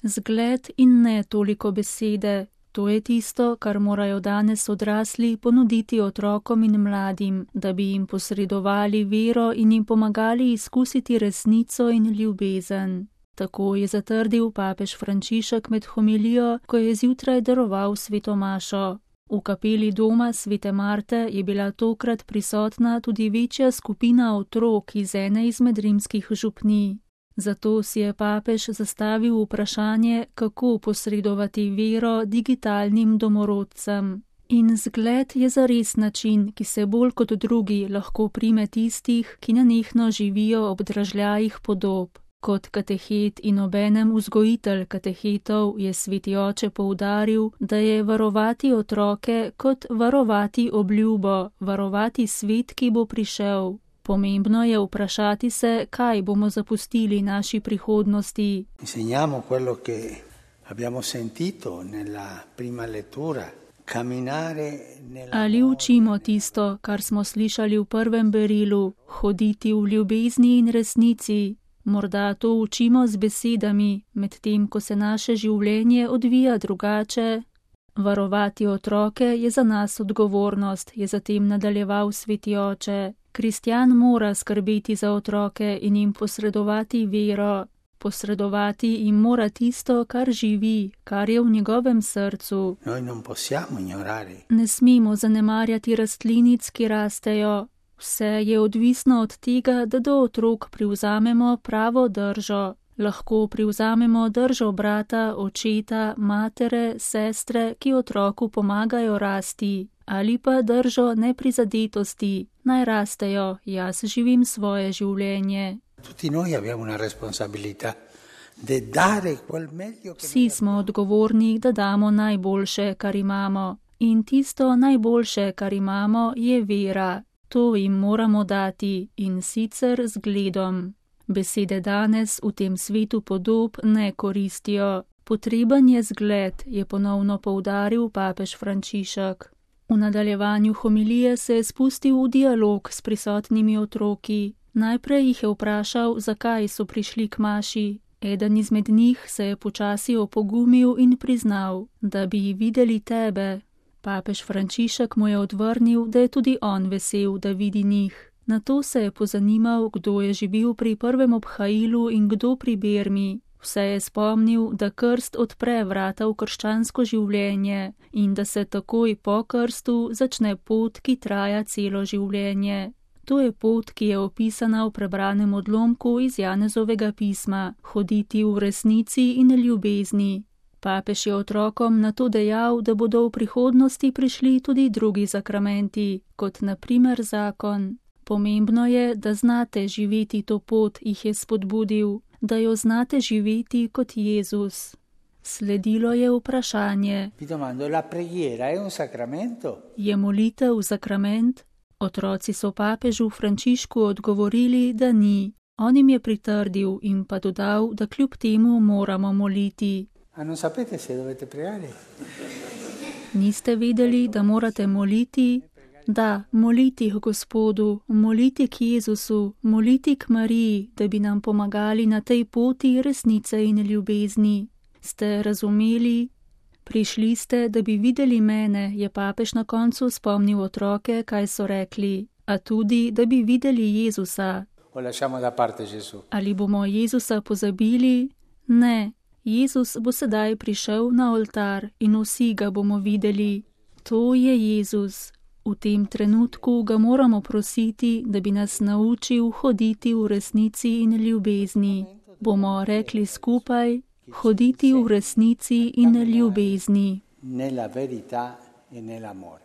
Zgled in ne toliko besede. To je tisto, kar morajo danes odrasli ponuditi otrokom in mladim, da bi jim posredovali vero in jim pomagali izkusiti resnico in ljubezen. Tako je zatrdil papež Frančišek med homilijo, ko je zjutraj daroval sveto mašo. V kapeli doma svete Marte je bila tokrat prisotna tudi večja skupina otrok iz ene izmed rimskih župnij. Zato si je papež zastavil vprašanje, kako posredovati vero digitalnim domorodcem. In zgled je zares način, ki se bolj kot drugi lahko prime tistih, ki nenehno živijo ob dražljajih podob. Kot katehet in obenem vzgojitelj katehetov je sveti oče poudaril, da je varovati otroke kot varovati obljubo, varovati svet, ki bo prišel. Pomembno je vprašati se, kaj bomo zapustili naši prihodnosti. Insegniamo quello che abbiamo sentito nella prima lettura. Ali učimo tisto, kar smo slišali v prvem berilu, hoditi v ljubezni in resnici? Morda to učimo z besedami, medtem ko se naše življenje odvija drugače. Varovati otroke je za nas odgovornost, je zatem nadaljeval sveti oče. Kristjan mora skrbeti za otroke in jim posredovati vero. Posredovati jim mora tisto, kar živi, kar je v njegovem srcu. Ne smemo zanemarjati rastlinic, ki rastejo. Vse je odvisno od tega, da do otrok privzamemo pravo držo. Lahko privzamemo držo brata, očeta, matere, sestre, ki otroku pomagajo rasti. Ali pa držo neprizadetosti. Naj rastejo, jaz živim svoje življenje. Vsi smo odgovorni, da damo najboljše, kar imamo. In tisto najboljše, kar imamo, je vera. To jim moramo dati in sicer zgledom. Besede danes v tem svetu podob ne koristijo. Potreben je zgled, je ponovno poudaril papež Frančišek. V nadaljevanju homilije se je spustil v dialog s prisotnimi otroki. Najprej jih je vprašal, zakaj so prišli k maši. Eden izmed njih se je počasi opogumil in priznal, da bi videli tebe. Papež Frančišek mu je odvrnil, da je tudi on vesel, da vidi njih. Nato se je pozanimal, kdo je živel pri prvem obhajilu in kdo pri bermi. Vse je spomnil, da krst odpre vrata v krščansko življenje in da se takoj po krstu začne pot, ki traja celo življenje. To je pot, ki je opisana v prebranem odlomku iz Janezovega pisma, hoditi v resnici in ljubezni. Papež je otrokom nato dejal, da bodo v prihodnosti prišli tudi drugi sakramenti, kot na primer zakon. Pomembno je, da znate živeti to pot, jih je spodbudil, da jo znate živeti kot Jezus. Sledilo je vprašanje. Je molitev sakrament? Otroci so papežu Frančišku odgovorili, da ni. On jim je pritrdil in pa dodal, da kljub temu moramo moliti. Niste vedeli, da morate moliti? Da, moliti k Gospodu, moliti k Jezusu, moliti k Mariji, da bi nam pomagali na tej poti resnice in ljubezni. Ste razumeli? Prišli ste, da bi videli mene, je papež na koncu spomnil otroke, kaj so rekli, a tudi, da bi videli Jezusa. Ali bomo Jezusa pozabili? Ne, Jezus bo sedaj prišel na oltar in vsi ga bomo videli. To je Jezus. V tem trenutku ga moramo prositi, da bi nas naučil hoditi v resnici in ljubezni. Bomo rekli skupaj, hoditi v resnici in ljubezni.